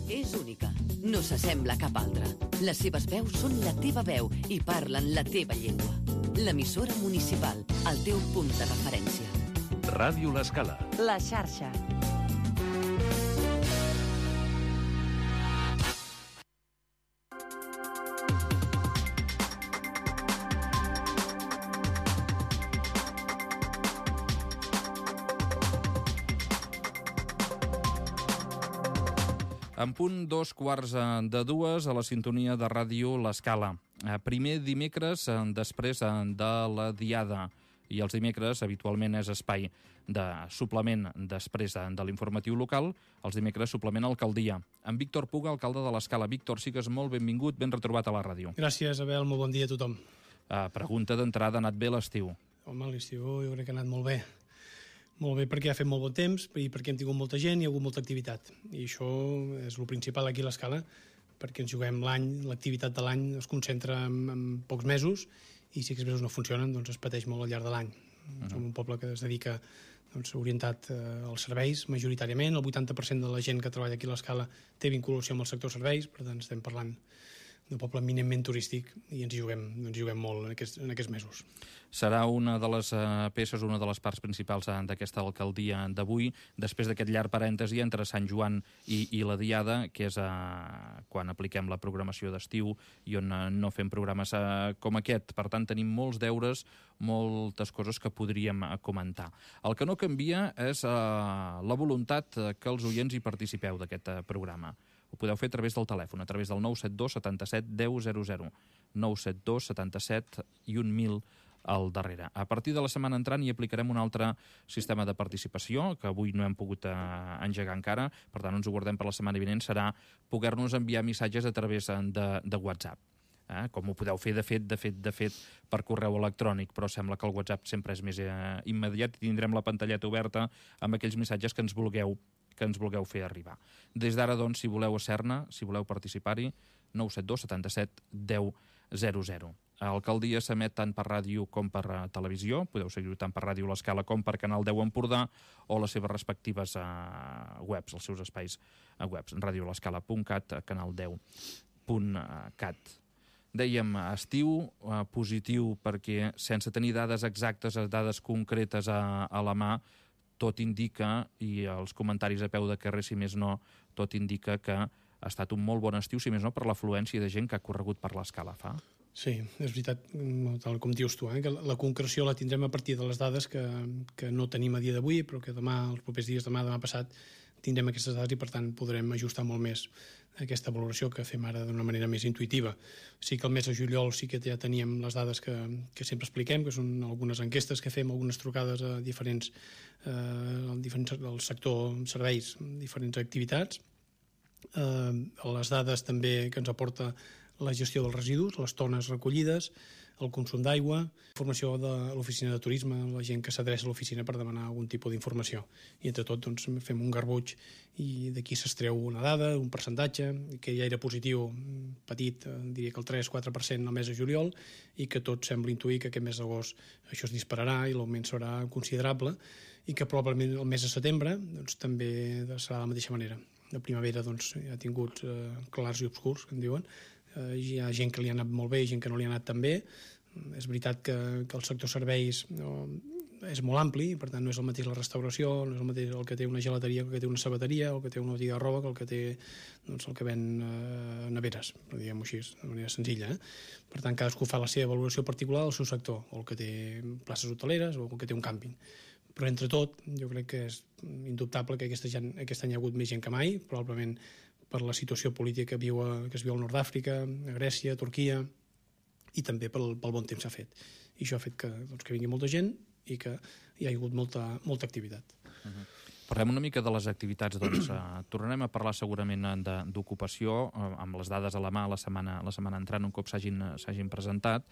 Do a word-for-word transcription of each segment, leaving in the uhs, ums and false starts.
És única, no s'assembla a cap altra. Les seves veus són la teva veu i parlen la teva llengua. L'emissora municipal, el teu punt de referència. Ràdio L'Escala. La xarxa. En punt dos quarts de dues a la sintonia de ràdio L'Escala. Primer dimecres després de la Diada. I els dimecres habitualment és espai de suplement després de l'informatiu local. Els dimecres suplement Alcaldia. En Víctor Puga, alcalde de L'Escala. Víctor, sigues molt benvingut, ben retrobat a la ràdio. Gràcies, Abel, molt bon dia a tothom. Uh, pregunta d'entrada, ha anat bé l'estiu? Home, l'estiu jo crec que ha anat molt bé. Molt bé perquè ha fet molt bon temps i perquè hem tingut molta gent i hi ha hagut molta activitat. I això és el principal aquí a l'Escala, perquè ens juguem l'any, l'activitat de l'any es concentra en, en pocs mesos i si aquests mesos no funcionen doncs es pateix molt al llarg de l'any. Uh-huh. Som un poble que es dedica doncs, orientat eh, als serveis majoritàriament. El vuitanta per cent de la gent que treballa aquí a l'Escala té vinculació amb el sector serveis, per tant estem parlant d'un poble eminentment turístic i ens hi juguem, ens hi juguem molt en aquests, en aquests mesos. Serà una de les uh, peces, una de les parts principals uh, d'aquesta alcaldia d'avui, després d'aquest llarg parèntesi entre Sant Joan i, i la Diada, que és uh, quan apliquem la programació d'estiu i on uh, no fem programes uh, com aquest. Per tant, tenim molts deures, moltes coses que podríem uh, comentar. El que no canvia és uh, la voluntat uh, que els oients hi participeu d'aquest uh, programa. Ho podeu fer a través del telèfon, a través del nou set dos setanta-set deu zero zero, nou set dos setanta-set i un mil al darrere. A partir de la setmana entrant hi aplicarem un altre sistema de participació, que avui no hem pogut eh, engegar encara, per tant ens ho guardem per la setmana vinent, serà poder-nos enviar missatges a través de, de WhatsApp. Eh? Com ho podeu fer, de fet, de fet, de fet, per correu electrònic, però sembla que el WhatsApp sempre és més eh, immediat i tindrem la pantalleta oberta amb aquells missatges que ens vulgueu que ens vulgueu fer arribar. Des d'ara, doncs, si voleu ser-ne, si voleu participar-hi, nou set dos setanta-set deu zero zero. L'alcaldia s'emet tant per ràdio com per uh, televisió, podeu seguir-ho tant per Ràdio L'Escala com per Canal deu Empordà o les seves respectives uh, webs, els seus espais uh, webs, radio l'escala punt cat, canal deu punt cat. Dèiem, estiu uh, positiu perquè sense tenir dades exactes, dades concretes a, a la mà, tot indica, i els comentaris a peu de carrer, si més no, tot indica que ha estat un molt bon estiu, si més no, per l'afluència de gent que ha corregut per l'Escala, fa. Sí, és veritat, tal com dius tu, eh, que la concreció la tindrem a partir de les dades que, que no tenim a dia d'avui, però que demà, els propers dies, demà, demà passat, tindrem aquestes dades i, per tant, podrem ajustar molt més aquesta valoració que fem ara d'una manera més intuïtiva. Sí que el mes de juliol sí que ja teníem les dades que, que sempre expliquem, que són algunes enquestes que fem, algunes trucades a diferents, eh, diferents al sector serveis, diferents activitats. Eh, les dades també que ens aporta la gestió dels residus, les tones recollides, el consum d'aigua, informació de l'oficina de turisme, la gent que s'adreça a l'oficina per demanar algun tipus d'informació. I entre tot doncs, fem un garbuix i d'aquí s'estreu una dada, un percentatge, que ja era positiu, petit, diria que el tres quatre per cent el mes de juliol, i que tot sembla intuir que aquest mes d'agost això es dispararà i l'augment serà considerable, i que probablement el mes de setembre doncs, també serà de la mateixa manera. La primavera doncs, ja ha tingut eh, clars i obscurs, que en diuen. Eh, hi ha gent que li ha anat molt bé i gent que no li ha anat tan bé. És veritat que, que el sector serveis no, és molt ampli, per tant no és el mateix la restauració, no és el mateix el que té una gelateria, el que té una sabateria, el que té una botiga de roba, que el que té doncs, el que ven eh, neveres, per dir-ho així, de manera senzilla. Eh? Per tant, cadascú fa la seva valoració particular del seu sector, o el que té places hoteleres, o el que té un càmping. Però entre tot, jo crec que és indubtable que aquesta gent, aquest any hi ha hagut més gent que mai, probablement per la situació política que, viu a, que es viu al nord d'Àfrica, a Grècia, a Turquia, i també pel, pel bon temps que ha fet. I això ha fet que, doncs, que vingui molta gent i que hi ha hagut molta, molta activitat. Uh-huh. Parlem una mica de les activitats, doncs. Uh, tornarem a parlar segurament d'ocupació, uh, amb les dades a la mà la setmana, la setmana entrant, un cop s'hagin s'hagin presentat,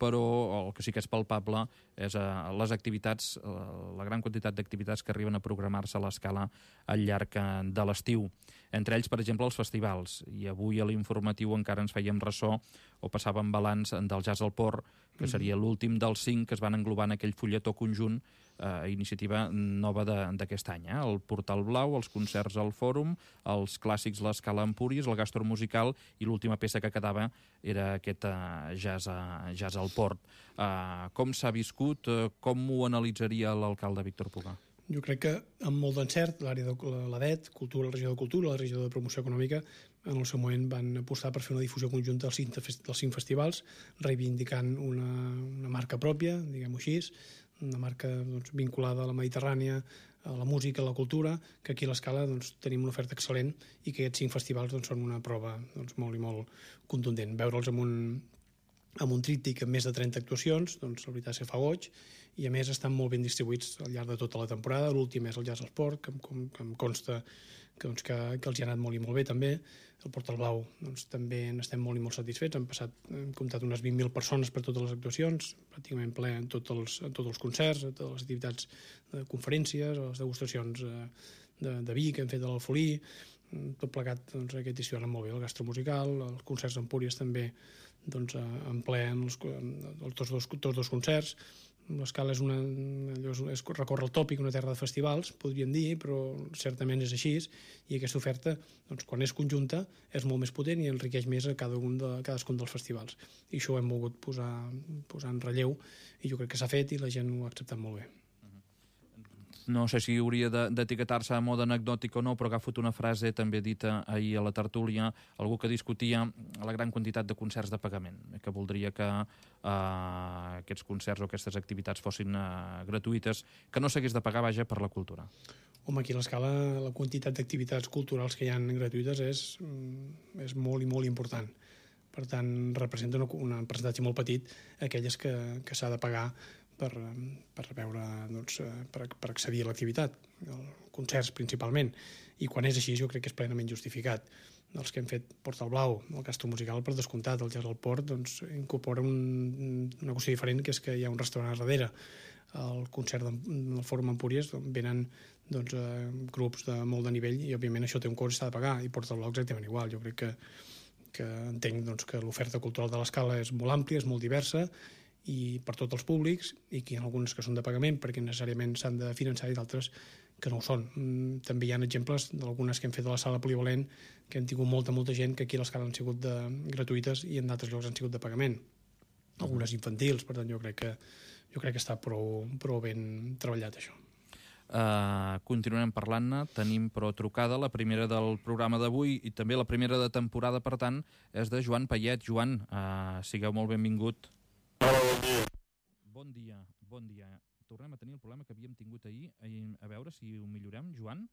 però el que sí que és palpable és uh, les activitats, uh, la gran quantitat d'activitats que arriben a programar-se a l'Escala al llarg uh, de l'estiu. Entre ells, per exemple, els festivals. I avui a l'informatiu encara ens fèiem ressò o passàvem balanç del Jazz al Port, que seria l'últim dels cinc que es van englobar en aquell fulletó conjunt, eh, iniciativa nova d'aquest any. Eh? El Portal Blau, els concerts al Fòrum, els clàssics l'Escala Empúries, el Gastro Musical, i l'última peça que quedava era aquest eh, jazz, a, jazz al Port. Eh, com s'ha viscut? Eh, com ho analitzaria l'alcalde Víctor Puga? Jo crec que amb molt d'encert l'àrea de l'A D E T, Cultura, la regió de Cultura, la regió de Promoció Econòmica, en el seu moment van apostar per fer una difusió conjunta dels cinc, dels cinc festivals, reivindicant una, una marca pròpia, diguem-ho així, una marca doncs, vinculada a la Mediterrània, a la música, a la cultura, que aquí a l'Escala doncs, tenim una oferta excel·lent i que aquests cinc festivals doncs, són una prova doncs, molt i molt contundent. Veure'ls amb un, amb un tríptic amb més de trenta actuacions, doncs la veritat és que fa goig, i a més estan molt ben distribuïts al llarg de tota la temporada. L'últim és el Jazz al Port, que, em, que em consta que, doncs, que, que els hi ha anat molt i molt bé també. El Portal Blau doncs, també n'estem molt i molt satisfets. Han passat, hem comptat unes vint mil persones per totes les actuacions, pràcticament ple en tots els, en tots els concerts, en totes les activitats de conferències, les degustacions de, de vi que hem fet a l'Alfolí, tot plegat doncs, aquest estiu ha anat molt bé. El Gastro Musical, els concerts d'Empúries també doncs, en ple en els, en tots, dos, tots dos concerts. L'Escala és, una, és recórrer el tòpic, una terra de festivals, podríem dir, però certament és així, i aquesta oferta, doncs, quan és conjunta, és molt més potent i enriqueix més a cada un de, cadascun dels festivals. I això ho hem volgut posar, posar en relleu, i jo crec que s'ha fet i la gent ho ha acceptat molt bé. No sé si hauria d'etiquetar-se a mode anecdòtic o no, però ha agafat una frase també dita ahir a la tertúlia, algú que discutia la gran quantitat de concerts de pagament, que voldria que eh, aquests concerts o aquestes activitats fossin eh, gratuïtes, que no s'hagués de pagar, vaja, per la cultura. Home, aquí a l'Escala la quantitat d'activitats culturals que hi ha gratuïtes és, és molt i molt important. Per tant, representa un percentatge molt petit aquelles que, que s'ha de pagar per, per veure, doncs, per, per accedir a l'activitat, concerts principalment. I quan és així jo crec que és plenament justificat. Els que hem fet Portal Blau, el Gastro Musical, per descomptat, el Jazz al Port, doncs, incorpora un, una qüestió diferent, que és que hi ha un restaurant a darrere. El concert del Fòrum Empúries doncs, venen doncs, eh, grups de molt de nivell i, òbviament, això té un cost i s'ha de pagar, i Portal Blau exactament igual. Jo crec que, que entenc doncs, que l'oferta cultural de l'Escala és molt àmplia, és molt diversa, i per tots els públics, i que hi ha algunes que són de pagament perquè necessàriament s'han de finançar i d'altres que no ho són. També hi ha exemples d'algunes que hem fet a la sala polivalent que han tingut molta, molta gent que aquí a l'Escala han sigut de, gratuïtes i en d'altres llocs han sigut de pagament. Algunes infantils, per tant jo crec que, jo crec que està prou, prou ben treballat això. Uh, continuarem parlant-ne, tenim però trucada la primera del programa d'avui i també la primera de temporada, per tant, és de Joan Payet. Joan, uh, sigueu molt benvingut. Hola, bon dia. Bon dia, bon dia. Tornem a tenir el problema que havíem tingut ahir. A veure si ho millorem, Joan.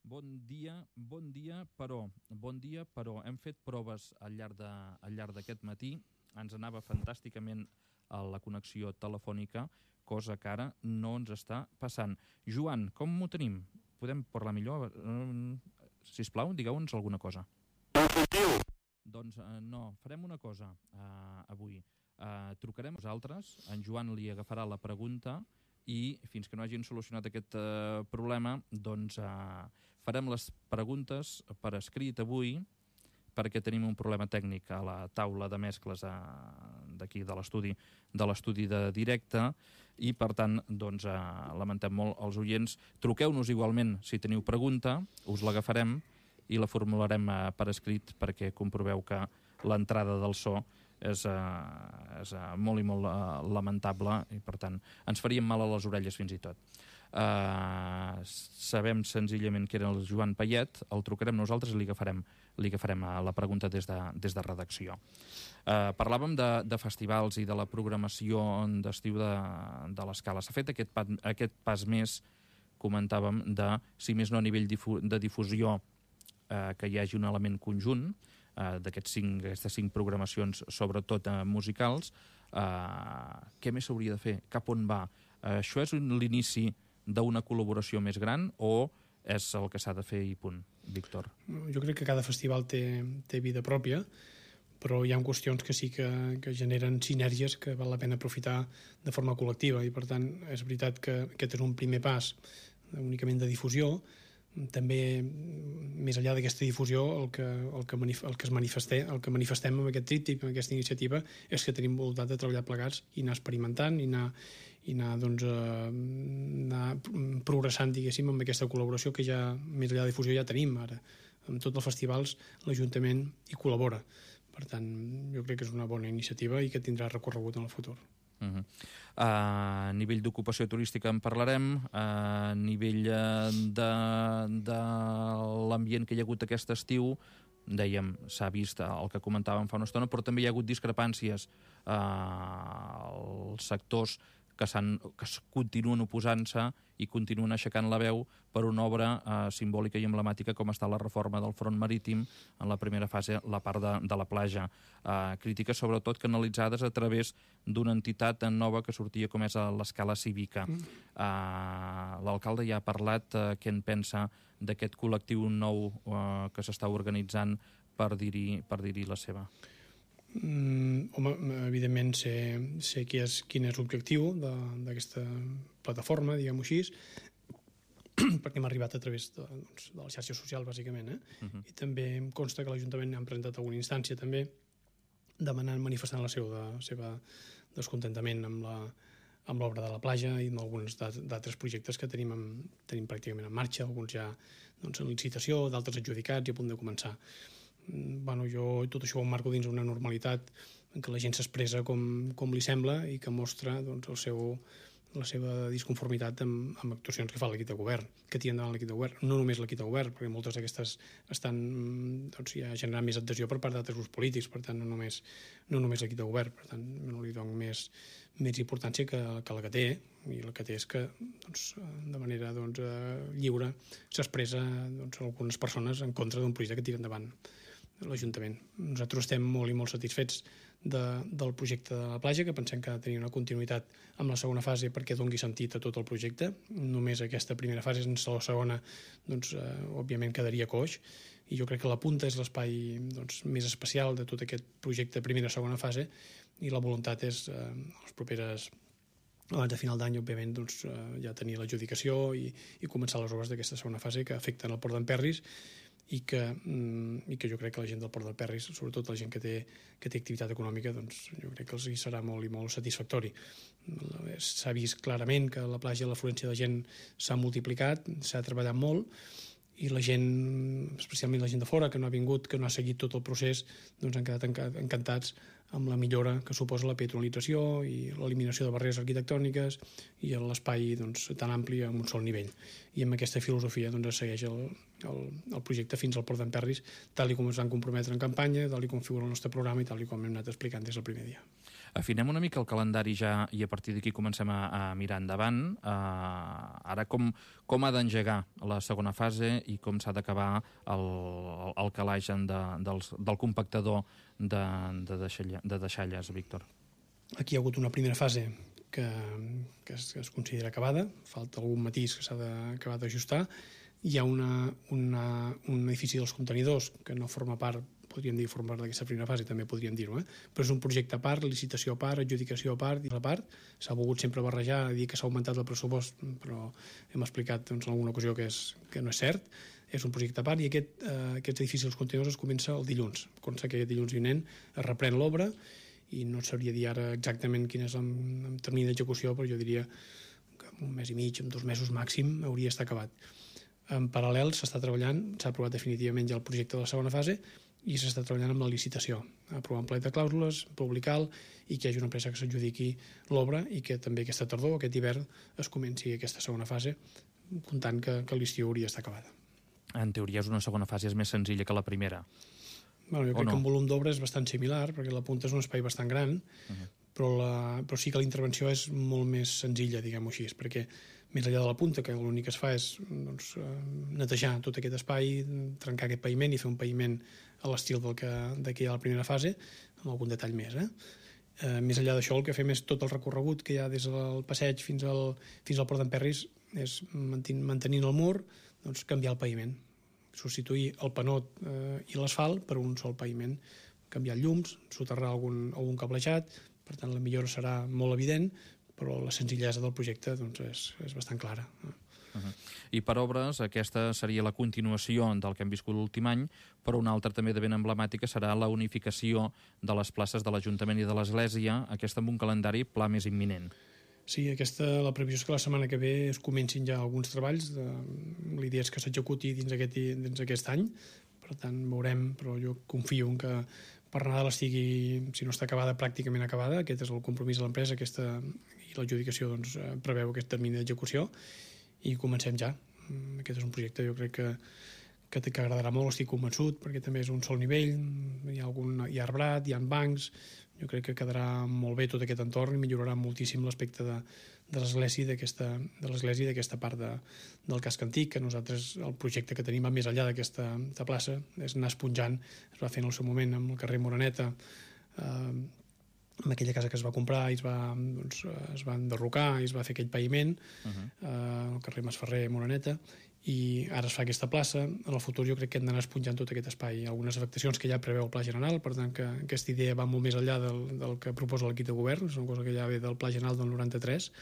Bon dia, bon dia, però, bon dia, però hem fet proves al llarg de, al llarg d'aquest matí. Ens anava fantàsticament a la connexió telefònica, cosa que ara no ens està passant. Joan, com ho tenim? Podem parlar millor? Sisplau, digueu-nos alguna cosa. Doncs eh, no, farem una cosa eh, avui. Eh, trucarem nosaltres, en Joan li agafarà la pregunta i fins que no hagin solucionat aquest eh, problema, doncs eh, farem les preguntes per escrit avui perquè tenim un problema tècnic a la taula de mescles eh, d'aquí de l'estudi de l'estudi de directe i per tant doncs, eh, lamentem molt els oients. Truqueu-nos igualment si teniu pregunta, us l'agafarem i la formularem eh, per escrit perquè comproveu que l'entrada del so és, eh, és eh, molt i molt eh, lamentable i per tant ens faríem mal a les orelles fins i tot. Eh, sabem senzillament que era el Joan Payet, el trucarem nosaltres i li agafarem, li agafarem eh, la pregunta des de, des de redacció. Eh, parlàvem de, de festivals i de la programació d'estiu de, de l'Escala. S'ha fet aquest, pas, aquest pas més, comentàvem, de, si més no a nivell difu de difusió, Eh, que hi hagi un element conjunt eh, d'aquestes cinc, cinc programacions, sobretot eh, musicals. Eh, què més s'hauria de fer? Cap on va? Eh, això és l'inici d'una col·laboració més gran o és el que s'ha de fer i punt, Víctor? Jo crec que cada festival té, té vida pròpia, però hi ha qüestions que sí que, que generen sinergies que val la pena aprofitar de forma col·lectiva i per tant és veritat que aquest és un primer pas únicament de difusió, també, més enllà d'aquesta difusió, el que, el que, manif el que, es manifesté, el que manifestem amb aquest tríptic, amb aquesta iniciativa, és que tenim voluntat de treballar plegats i anar experimentant i anar, i anar, doncs, eh, anar progressant, diguéssim, amb aquesta col·laboració que ja, més enllà de difusió, ja tenim ara. Amb tots els festivals l'Ajuntament hi col·labora. Per tant, jo crec que és una bona iniciativa i que tindrà recorregut en el futur. Uh -huh. A nivell d'ocupació turística en parlarem, a nivell de, de l'ambient que hi ha hagut aquest estiu, dèiem, s'ha vist el que comentàvem fa una estona, però també hi ha hagut discrepàncies als sectors que, que continuen oposant-se i continuen aixecant la veu per una obra eh, simbòlica i emblemàtica com està la reforma del front marítim, en la primera fase, la part de, de la platja. Eh, crítiques sobretot canalitzades a través d'una entitat nova que sortia com és l'Escala Cívica. Mm. Eh, L'alcalde ja ha parlat eh, què en pensa d'aquest col·lectiu nou eh, que s'està organitzant per dir-hi per dir-hi la seva. Mm, home, evidentment sé, sé qui és, quin és l'objectiu d'aquesta plataforma, diguem-ho així, perquè m'ha arribat a través de, doncs, de la xarxa social, bàsicament. Eh? Uh-huh. I també em consta que l'Ajuntament ha presentat alguna instància també demanant, manifestant la seu de, seva descontentament amb la amb l'obra de la platja i amb alguns d'altres projectes que tenim, en, tenim pràcticament en marxa, alguns ja doncs, en licitació, d'altres adjudicats i a punt de començar. Bueno, jo tot això ho marco dins una normalitat en què la gent s'expressa com, com li sembla i que mostra doncs, el seu, la seva disconformitat amb, amb actuacions que fa l'equip de govern, que tira endavant l'equip de govern. No només l'equip de govern, perquè moltes d'aquestes estan doncs, ja generant més adhesió per part d'altres grups polítics, per tant, no només, no només l'equip de govern, per tant, no li dono més, més importància que, que la que té, i la que té és que doncs, de manera doncs, lliure s'expressa doncs, algunes persones en contra d'un projecte que tira endavant l'Ajuntament. Nosaltres estem molt i molt satisfets de, del projecte de la platja, que pensem que ha de tenir una continuïtat amb la segona fase perquè doni sentit a tot el projecte. Només aquesta primera fase, sense la segona, doncs, eh, òbviament quedaria coix, i jo crec que la punta és l'espai doncs, més especial de tot aquest projecte primera i segona fase, i la voluntat és, eh, les properes abans de final d'any, òbviament, doncs, eh, ja tenir l'adjudicació i, i començar les obres d'aquesta segona fase que afecten el Port d'Emperris i que, i que jo crec que la gent del Port d'Emperris, sobretot la gent que té, que té activitat econòmica, doncs jo crec que els hi serà molt i molt satisfactori. S'ha vist clarament que la platja, l'afluència de gent s'ha multiplicat, s'ha treballat molt, i la gent, especialment la gent de fora, que no ha vingut, que no ha seguit tot el procés, doncs han quedat encantats amb la millora que suposa la peatonalització i l'eliminació de barreres arquitectòniques i l'espai doncs, tan ampli en un sol nivell. I amb aquesta filosofia doncs, es segueix el, el, el projecte fins al Port d'Emperris, tal com ens van comprometre en campanya, tal com figura el nostre programa i tal com hem anat explicant des del primer dia. Afinem una mica el calendari ja i a partir d'aquí comencem a, a mirar endavant. Uh, ara com, com ha d'engegar la segona fase i com s'ha d'acabar el, el calaix de, dels, del compactador de, de, deixalla, de deixalles, Víctor? Aquí hi ha hagut una primera fase que, que, es, que es considera acabada, falta algun matís que s'ha d'acabar d'ajustar. Hi ha una, una, un edifici dels contenidors que no forma part, podríem dir, formar d'aquesta primera fase, també podríem dir-ho, eh? Però és un projecte a part, licitació a part, adjudicació a part, i a part. S'ha volgut sempre barrejar, dir que s'ha augmentat el pressupost, però hem explicat doncs, en alguna ocasió que, és, que no és cert. És un projecte a part i aquest, eh, aquests edificis dels contenidors es comença el dilluns. Consta que aquest dilluns vinent es reprèn l'obra i no sabria dir ara exactament quin és el, el termini d'execució, però jo diria que en un mes i mig, en dos mesos màxim, hauria d'estar acabat. En paral·lel s'està treballant, s'ha aprovat definitivament ja el projecte de la segona fase i s'està treballant amb la licitació, aprovant plec de clàusules, publicar-lo i que hi hagi una empresa que s'adjudiqui l'obra i que també aquesta tardor, aquest hivern, es comenci aquesta segona fase, comptant que, que l'estiu hauria d'estar acabada. En teoria és una segona fase és més senzilla que la primera. Bueno, jo crec no? que un volum d'obra és bastant similar, perquè la punta és un espai bastant gran, uh-huh. però, la, però sí que la intervenció és molt més senzilla, diguem-ho així, perquè més enllà de la punta, que l'únic que es fa és doncs, netejar tot aquest espai, trencar aquest paviment i fer un paviment a l'estil del que, de que hi ha a la primera fase, amb algun detall més. Eh? Eh, més enllà d'això, el que fem és tot el recorregut que hi ha des del passeig fins al, fins al Port d'Emperris, és mantenint, mantenint el mur, doncs, canviar el paviment, substituir el panot eh, i l'asfalt per un sol paviment, canviar llums, soterrar algun, algun cablejat, per tant la millora serà molt evident, però la senzillesa del projecte doncs, és, és bastant clara. Uh-huh. I per obres, aquesta seria la continuació del que hem viscut l'últim any, però una altra també de ben emblemàtica serà la unificació de les places de l'Ajuntament i de l'Església, aquesta amb un calendari pla més imminent. Sí, aquesta, la previsió és que la setmana que ve es comencin ja alguns treballs. De, l'idea és que s'executi dins aquest, dins aquest any, per tant veurem, però jo confio en que per Nadal estigui, si no està acabada, pràcticament acabada. Aquest és el compromís de l'empresa, aquesta, i l'adjudicació doncs, preveu aquest termini d'execució, i comencem ja. Aquest és un projecte, jo crec que, que, que agradarà molt, estic convençut, perquè també és un sol nivell, hi ha, algun, hi ha arbrat, hi ha bancs. Jo crec que quedarà molt bé tot aquest entorn i millorarà moltíssim l'aspecte de, de l'església d'aquesta de l'església i d'aquesta part de, del casc antic, que nosaltres, el projecte que tenim va més enllà d'aquesta plaça, és anar esponjant, es va fer en el seu moment amb el carrer Moreneta, eh, amb aquella casa que es va comprar i es va, doncs, es va enderrocar i es va fer aquell paviment, uh-huh. eh, el carrer Masferrer Moreneta, i ara es fa aquesta plaça. En el futur jo crec que hem d'anar esponjant tot aquest espai. Algunes afectacions que ja preveu el Pla General, per tant que aquesta idea va molt més enllà del, del que proposa l'equip de govern, és una cosa que ja ve del Pla General del noranta-tres,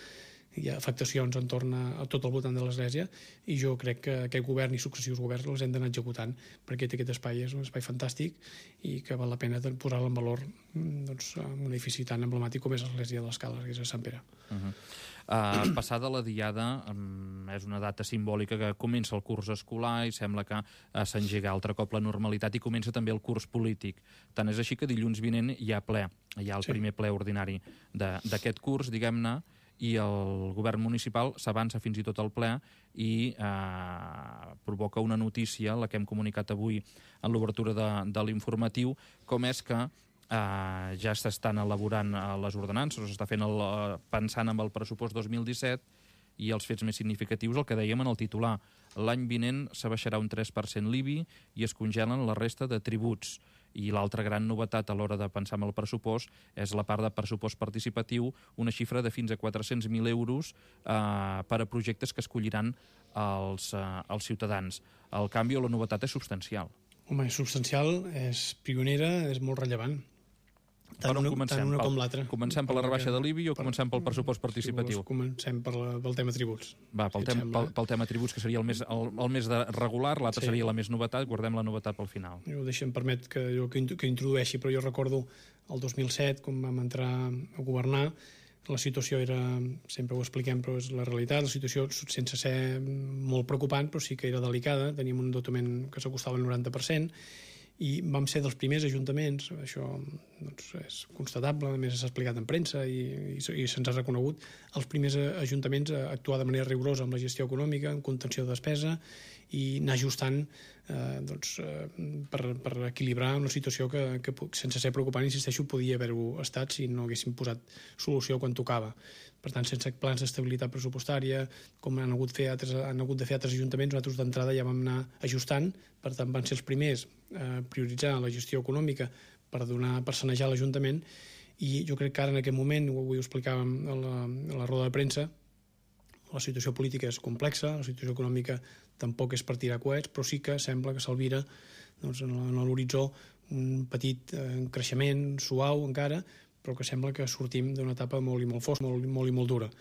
hi ha afectacions entorn a, a tot el voltant de l'església, i jo crec que aquest govern i successius governs els hem d'anar executant, perquè aquest espai és un espai fantàstic i que val la pena posar-lo en valor, doncs, en un edifici tan emblemàtic com és l'església de l'Escala, que és a Sant Pere. Uh-huh. Uh, passada la diada, um, és una data simbòlica que comença el curs escolar i sembla que uh, s'engega altre cop la normalitat i comença també el curs polític. Tant és així que dilluns vinent hi ha ple, hi ha el sí. primer ple ordinari d'aquest curs, diguem-ne, i el govern municipal s'avança fins i tot al ple i eh, provoca una notícia, la que hem comunicat avui en l'obertura de, de l'informatiu, com és que Uh, ja s'estan elaborant uh, les ordenances, s'està fent el, uh, pensant en el pressupost dos mil disset, i els fets més significatius, el que dèiem en el titular. L'any vinent s'abaixarà un tres per cent l'I B I i es congelen la resta de tributs. I l'altra gran novetat a l'hora de pensar en el pressupost és la part de pressupost participatiu, una xifra de fins a quatre-cents mil euros uh, per a projectes que escolliran els, uh, els ciutadans. El canvi o la novetat és substancial. Home, és substancial, és pionera, és molt rellevant. Tant una, tant una com l'altra. Comencem per la rebaixa de l'I B I o per, comencem pel pressupost participatiu? Si comencem per la, pel tema tributs. Va, pel, tem, pel, pel tema tributs, que seria el més, el, el més de regular, l'altre sí. seria la més novetat, guardem la novetat pel final. Jo deixa'm permet que jo que, que introdueixi, però jo recordo el dos mil set, quan vam entrar a governar, la situació era, sempre ho expliquem, però és la realitat, la situació sense ser molt preocupant, però sí que era delicada, teníem un endeutament que s'acostava al noranta per cent, i vam ser dels primers ajuntaments, això doncs, és constatable, a més s'ha explicat en premsa i, i, i se'ns ha reconegut, els primers ajuntaments a actuar de manera rigorosa amb la gestió econòmica, en contenció de despesa i anar ajustant eh, doncs, eh, per, per equilibrar una situació que, que sense ser preocupant, insisteixo, podia haver-ho estat si no haguéssim posat solució quan tocava. Per tant, sense plans d'estabilitat pressupostària, com han hagut, fer altres, han hagut de fer altres ajuntaments, nosaltres d'entrada ja vam anar ajustant, per tant van ser els primers a prioritzar la gestió econòmica per donar per sanejar l'Ajuntament, i jo crec que ara en aquest moment, avui ho explicàvem a la, a la roda de premsa, la situació política és complexa, la situació econòmica tampoc és per tirar coets, però sí que sembla que s'alvira doncs, en l'horitzó un petit eh, creixement suau encara, però que sembla que sortim d'una etapa molt i molt fosca, molt, molt i molt dura.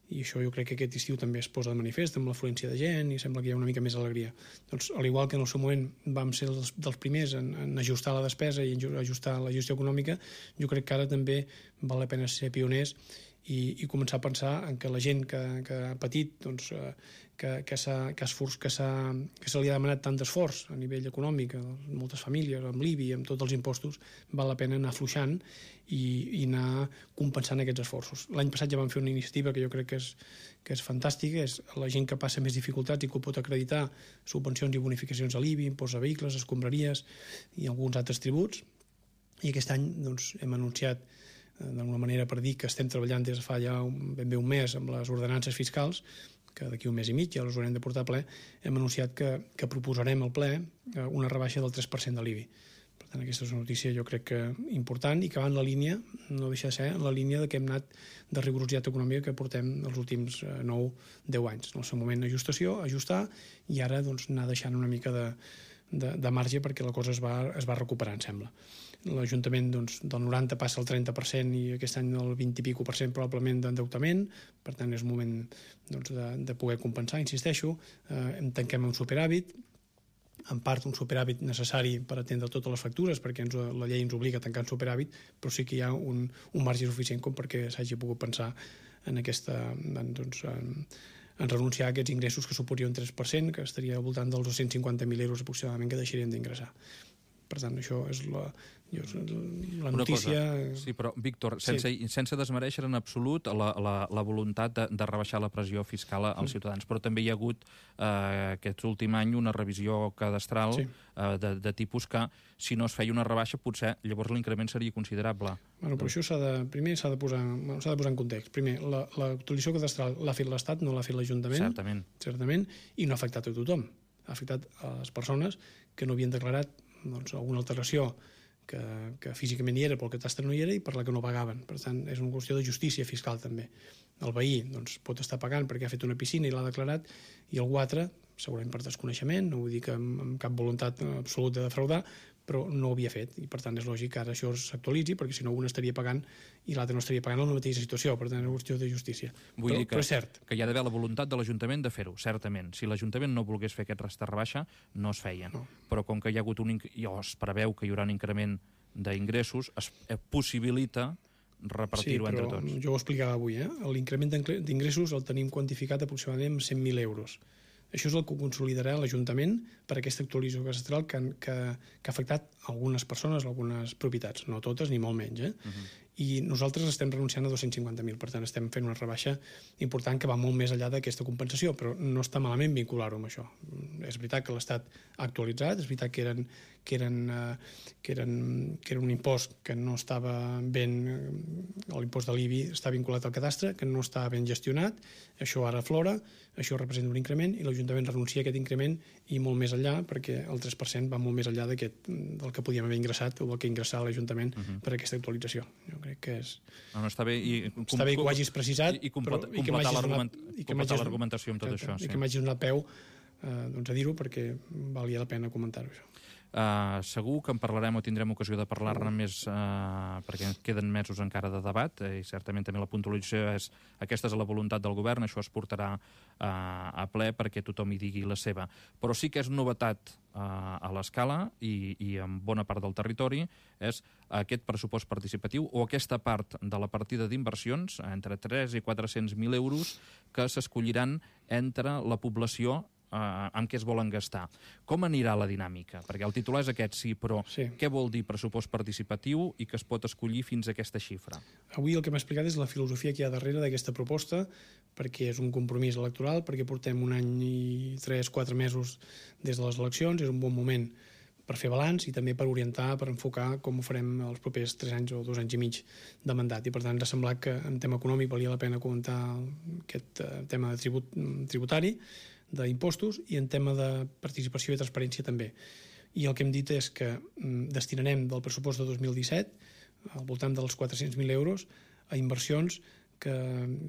I això jo crec que aquest estiu també es posa de manifest amb l'afluència de gent i sembla que hi ha una mica més alegria. Doncs, al igual que en el seu moment vam ser els, dels primers en, en ajustar la despesa i en ajustar la gestió econòmica, jo crec que ara també val la pena ser pioners i, i començar a pensar en que la gent que, que ha patit, doncs, que, que, s'ha, que, esforç, que, s'ha, que se li ha demanat tant d'esforç a nivell econòmic, a moltes famílies, amb l'I B I, amb tots els impostos, val la pena anar afluixant i, i anar compensant aquests esforços. L'any passat ja vam fer una iniciativa que jo crec que és, que és fantàstica, és la gent que passa més dificultats i que ho pot acreditar, subvencions i bonificacions a l'I B I, impost a vehicles, escombraries i alguns altres tributs. I aquest any doncs, hem anunciat d'alguna manera per dir que estem treballant des de fa ja un, ben bé un mes amb les ordenances fiscals, que d'aquí un mes i mig ja les haurem de portar a ple, hem anunciat que, que proposarem al ple una rebaixa del tres per cent de l'I B I. Per tant, aquesta és una notícia jo crec que important i que va en la línia, no deixa de ser, en la línia de que hem anat de rigorositat econòmica que portem els últims nou deu anys. En el seu moment ajustació, ajustar, i ara doncs, anar deixant una mica de de, de marge perquè la cosa es va, es va recuperar, em sembla. L'Ajuntament doncs, del noranta passa al trenta per cent i aquest any el vint i pico per cent probablement d'endeutament, per tant és un moment doncs, de, de poder compensar, insisteixo, eh, en tanquem un superàvit, en part un superàvit necessari per atendre totes les factures, perquè ens, la llei ens obliga a tancar un superàvit, però sí que hi ha un, un marge suficient com perquè s'hagi pogut pensar en aquesta... Doncs, en, en renunciar a aquests ingressos que suposaria un tres per cent, que estaria al voltant dels dos-cents cinquanta mil euros aproximadament que deixaríem d'ingressar. Per tant, això és la, la notícia... Sí, però, Víctor, sense, sí. sense desmereixer en absolut la, la, la voluntat de, de rebaixar la pressió fiscal als mm. ciutadans, però també hi ha hagut eh, aquest últim any una revisió cadastral sí. eh, de, de tipus que, si no es feia una rebaixa, potser llavors l'increment seria considerable. Bueno, però això s'ha de, primer s'ha de, posar, s'ha de posar en context. Primer, l'actualització cadastral l'ha fet l'Estat, no l'ha fet l'Ajuntament. Certament. Certament, i no ha afectat a tothom. Ha afectat a les persones que no havien declarat doncs, alguna alteració que, que físicament hi era però el catastre no hi era i per la que no pagaven. Per tant, és una qüestió de justícia fiscal també. El veí doncs, pot estar pagant perquè ha fet una piscina i l'ha declarat i algú altre, segurament per desconeixement, no vull dir que amb, amb cap voluntat absoluta de defraudar, però no ho havia fet i per tant és lògic que ara això s'actualitzi perquè si no un estaria pagant i l'altre no estaria pagant en la mateixa situació, per tant és una qüestió de justícia. Vull però, dir que, però és cert. Que hi ha d'haver la voluntat de l'Ajuntament de fer-ho, certament. Si l'Ajuntament no volgués fer aquest resta rebaixa, no es feia. No. Però com que hi ha hagut un i es preveu que hi haurà un increment d'ingressos, es possibilita repartir-ho sí, entre tots. Jo ho explicava avui, eh? L'increment d'ingressos el tenim quantificat aproximadament en cent mil euros. Això és el que consolidarà l'Ajuntament per aquesta actualització cadastral que, que, que ha afectat algunes persones, algunes propietats, no totes ni molt menys. Eh? Uh-huh. I nosaltres estem renunciant a dos-cents cinquanta mil, per tant estem fent una rebaixa important que va molt més enllà d'aquesta compensació, però no està malament vincular-ho amb això. És veritat que l'Estat ha actualitzat, és veritat que eren, que eren, que eren, que era un impost que no estava ben... l'impost de l'I B I està vinculat al cadastre, que no està ben gestionat, això ara aflora, això representa un increment i l'Ajuntament renuncia a aquest increment i molt més enllà, perquè el tres per cent va molt més enllà d'aquest, del que podíem haver ingressat o del que ingressava l'Ajuntament uh-huh. per aquesta actualització. Jo crec que és... No, no, està bé, i, està bé que ho hagis precisat i, i completar, però, i completar l'argumentació amb tot exacte, això. Sí. I que m'hagis donat peu eh, doncs a dir-ho perquè valia la pena comentar-ho, això. Uh, segur que en parlarem o tindrem ocasió de parlar-ne més uh, perquè queden mesos encara de debat uh, i certament també la puntualització és aquesta és la voluntat del govern, això es portarà uh, a ple perquè tothom hi digui la seva. Però sí que és novetat uh, a l'escala i, i en bona part del territori és aquest pressupost participatiu o aquesta part de la partida d'inversions entre tres i quatre-cents mil euros que s'escolliran entre la població Uh, amb què es volen gastar. Com anirà la dinàmica? Perquè el titular és aquest, sí, però sí. Què vol dir pressupost participatiu i que es pot escollir fins a aquesta xifra? Avui el que m'ha explicat és la filosofia que hi ha darrere d'aquesta proposta, perquè és un compromís electoral, perquè portem un any i tres, quatre mesos des de les eleccions, és un bon moment per fer balanç i també per orientar, per enfocar com ho farem els propers tres anys o dos anys i mig de mandat. I per tant ens ha semblat que en tema econòmic valia la pena comentar aquest uh, tema de tribut, tributari, d'impostos i en tema de participació i transparència també. I el que hem dit és que mm, destinarem del pressupost de dos mil disset al voltant dels quatre-cents mil euros a inversions que,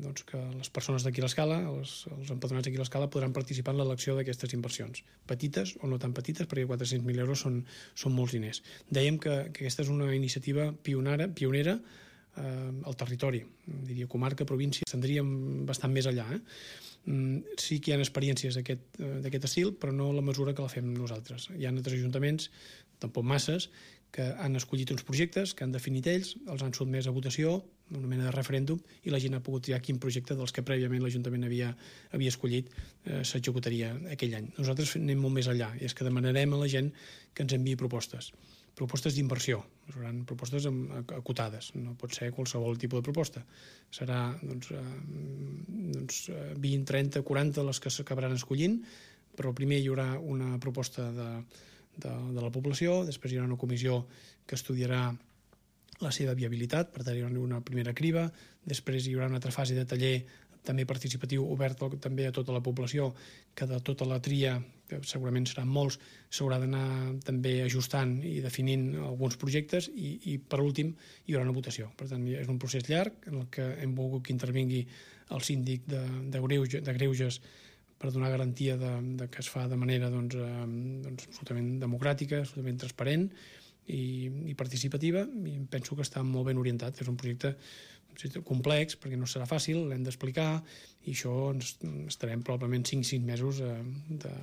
doncs, que les persones d'aquí a l'Escala, els, els empadronats d'aquí a l'Escala podran participar en l'elecció d'aquestes inversions. Petites o no tan petites, perquè quatre-cents mil euros són, són molts diners. Dèiem que, que aquesta és una iniciativa pionera, pionera eh, al territori, diria comarca, província, estendríem bastant més enllà, eh? Sí que hi ha experiències d'aquest estil, però no la mesura que la fem nosaltres. Hi ha altres ajuntaments, tampoc masses, que han escollit uns projectes, que han definit ells, els han sotmès a votació, una mena de referèndum, i la gent ha pogut triar quin projecte dels que prèviament l'Ajuntament havia, havia escollit eh, s'executaria aquell any. Nosaltres anem molt més enllà, i és que demanarem a la gent que ens enviï propostes. Propostes d'inversió, seran propostes acotades, no pot ser qualsevol tipus de proposta. Serà doncs, doncs, vint, trenta, quaranta les que s'acabaran escollint, però primer hi haurà una proposta de, de, de la població, després hi haurà una comissió que estudiarà la seva viabilitat, per tant hi haurà una primera criba, després hi haurà una altra fase de taller també participatiu obert també a tota la població, que de tota la tria, que segurament seran molts, s'haurà d'anar també ajustant i definint alguns projectes i, i per últim hi haurà una votació. Per tant, és un procés llarg en el que hem volgut que intervingui el síndic de, de, greuge, de greuges per donar garantia de, de que es fa de manera doncs, eh, doncs, absolutament democràtica, absolutament transparent i, i participativa, i penso que està molt ben orientat. És un projecte complex perquè no serà fàcil, l'hem d'explicar, i això ens estarem probablement cinc sis mesos eh, de,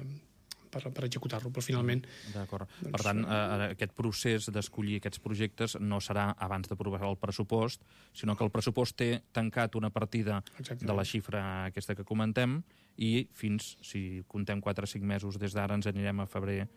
per, per executar-lo, però finalment... D'acord. Doncs, per tant, eh, aquest procés d'escollir aquests projectes no serà abans d'aprovar el pressupost, sinó que el pressupost té tancat una partida Exactament. De la xifra aquesta que comentem, i fins, si contem quatre o cinc mesos des d'ara, ens anirem a febrer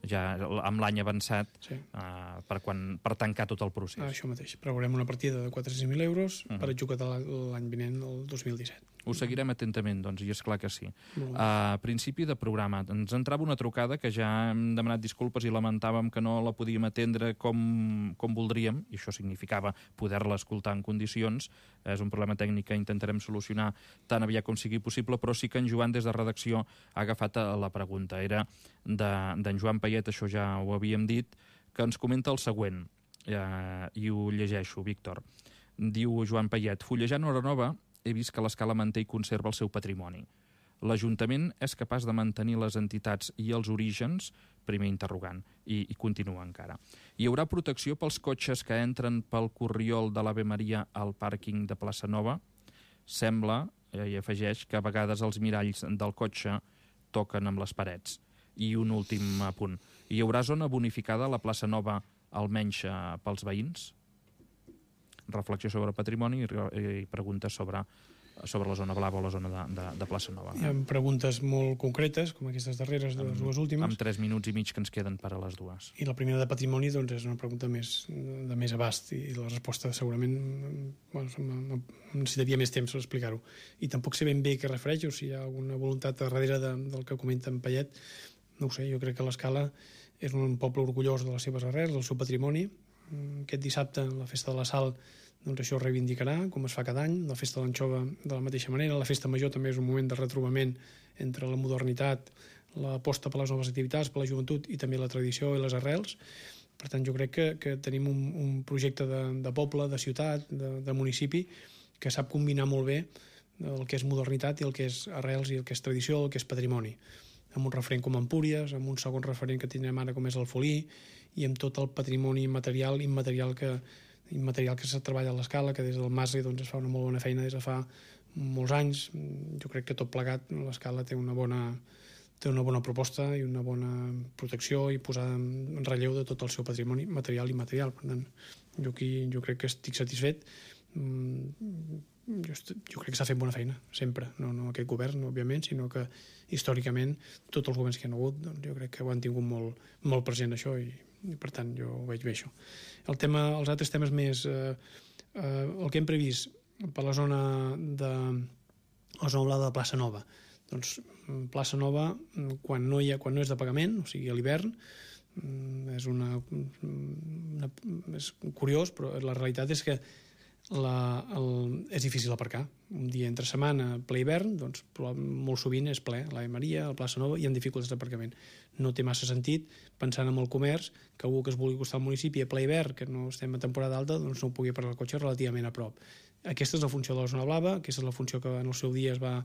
ja amb l'any avançat sí. uh, per, quan, per tancar tot el procés. Ah, això mateix. Preveurem una partida de quatre-cents mil euros uh -huh. per executar l'any vinent, el dos mil disset. Ho seguirem atentament, doncs, i és clar que sí. A principi de programa ens entrava una trucada que ja hem demanat disculpes i lamentàvem que no la podíem atendre com, com voldríem, i això significava poder-la escoltar en condicions. És un problema tècnic que intentarem solucionar tan aviat com sigui possible, però sí que en Joan des de redacció ha agafat la pregunta. Era d'en Joan Payet, això ja ho havíem dit, que ens comenta el següent, eh, i ho llegeixo, Víctor. Diu Joan Payet: fullejant Hora Nova, he vist que l'Escala manté i conserva el seu patrimoni. L'Ajuntament és capaç de mantenir les entitats i els orígens? Primer interrogant. I, i continua encara. Hi haurà protecció pels cotxes que entren pel corriol de l'Ave Maria al pàrquing de Plaça Nova? Sembla, eh, i afegeix, que a vegades els miralls del cotxe toquen amb les parets. I un últim punt. Hi haurà zona bonificada a la Plaça Nova, almenys eh, pels veïns? Reflexió sobre patrimoni i, i preguntes sobre, sobre la zona blava o la zona de, de, de Plaça Nova. Hi ha preguntes molt concretes, com aquestes darreres, de les dues últimes. Amb tres minuts i mig que ens queden per a les dues. I la primera de patrimoni doncs, és una pregunta més, de més abast, i la resposta segurament bueno, necessitaria més temps per explicar-ho. I tampoc sé ben bé què refereix, o si hi ha alguna voluntat darrere de, del que comenta en Payet. No ho sé, jo crec que l'Escala és un poble orgullós de les seves arrels, del seu patrimoni. Aquest dissabte, la Festa de la Sal, doncs això es reivindicarà, com es fa cada any. La Festa de l'Anxova, de la mateixa manera. La Festa Major també és un moment de retrobament entre la modernitat, l'aposta per les noves activitats, per la joventut, i també la tradició i les arrels. Per tant, jo crec que, que tenim un, un projecte de, de poble, de ciutat, de, de municipi, que sap combinar molt bé el que és modernitat i el que és arrels i el que és tradició, el que és patrimoni. Amb un referent com Empúries, amb un segon referent que tindrem ara com és el Folí, i amb tot el patrimoni material i immaterial que, immaterial que se treballa a l'Escala, que des del Masi doncs, es fa una molt bona feina des de fa molts anys. Jo crec que tot plegat l'Escala té una bona, té una bona proposta i una bona protecció i posada en relleu de tot el seu patrimoni material i immaterial. Per tant, jo aquí jo crec que estic satisfet. Jo, jo crec que s'ha fet bona feina, sempre. No, no aquest govern, òbviament, sinó que històricament tots els governs que hi ha hagut, doncs, jo crec que ho han tingut molt, molt present, això, i, i per tant jo ho veig bé, això. El tema, els altres temes més, eh, eh, el que hem previst per la zona de la zona blava de Plaça Nova. Doncs Plaça Nova, quan no, hi ha, quan no és de pagament, o sigui a l'hivern, és una, una és curiós, però la realitat és que La, el, és difícil aparcar. Un dia entre setmana, ple hivern, doncs molt sovint és ple, l'Ave Maria, la Plaça Nova, i amb dificultats d'aparcament. No té massa sentit, pensant en el comerç, que algú que es vulgui acostar al municipi a ple hivern, que no estem a temporada alta, doncs no pugui aparcar el cotxe relativament a prop. Aquesta és la funció de la zona blava, aquesta és la funció que en el seu dia es va,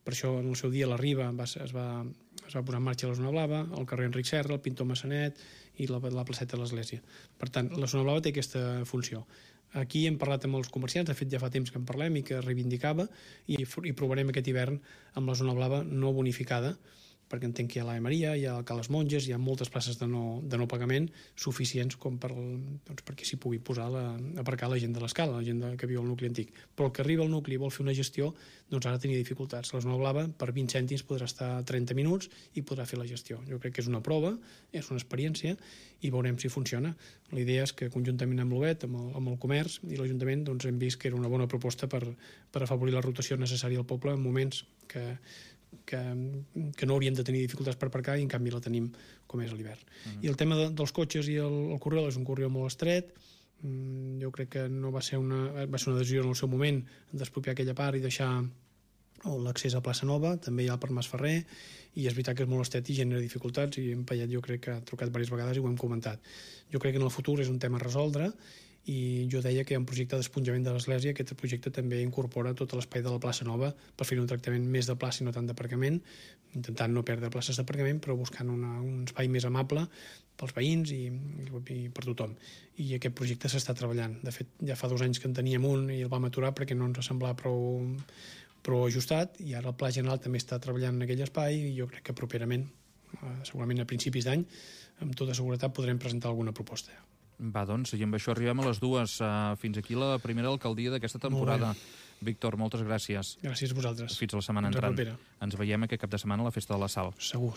per això en el seu dia la Riba va, es, va, es va posar en marxa la zona blava, el carrer Enric Serra, el Pintor Massanet i la, la placeta de l'Església. Per tant, la zona blava té aquesta funció. Aquí hem parlat amb els comerciants, de fet ja fa temps que en parlem i que reivindicava, i, i provarem aquest hivern amb la zona blava no bonificada, perquè entenc que hi ha l'Ave Maria, hi ha el Ca les Monges, hi ha moltes places de no, de no pagament suficients com per, doncs, perquè s'hi pugui posar la, aparcar la gent de l'Escala, la gent de, que viu al nucli antic. Però el que arriba al nucli i vol fer una gestió, doncs ara tenia dificultats. La zona blava per vint cèntims podrà estar trenta minuts i podrà fer la gestió. Jo crec que és una prova, és una experiència, i veurem si funciona. La idea és que conjuntament amb l'Obet, amb, amb el comerç i l'Ajuntament, doncs hem vist que era una bona proposta per, per afavorir la rotació necessària al poble en moments que Que, que no hauríem de tenir dificultats per aparcar, i en canvi la tenim com és a l'hivern. Uh-huh. I el tema de, dels cotxes i el, el corriol és un corriol molt estret. Mm, jo crec que no va ser una, va ser una decisió en el seu moment d'expropiar aquella part i deixar l'accés a Plaça Nova, també hi ha per Mas Ferrer, i és veritat que és molt estret i genera dificultats, i en Payet jo crec que ha trucat diverses vegades i ho hem comentat. Jo crec que en el futur és un tema a resoldre, i jo deia que hi ha un projecte d'esponjament de l'església. Aquest projecte també incorpora tot l'espai de la plaça Nova per fer un tractament més de plaça i no tant d'aparcament, intentant no perdre places d'aparcament, però buscant una, un espai més amable pels veïns i, i per tothom. I aquest projecte s'està treballant. De fet, ja fa dos anys que en teníem un i el vam aturar perquè no ens semblava prou, prou ajustat, i ara el Pla General també està treballant en aquell espai, i jo crec que properament, segurament a principis d'any, amb tota seguretat podrem presentar alguna proposta. Va, doncs, i amb això arribem a les dues. Fins aquí la primera alcaldia d'aquesta temporada. Víctor, moltes gràcies. Gràcies a vosaltres. Fins la setmana entrant. Ens veiem aquest cap de setmana a la Festa de la Sal. Segur.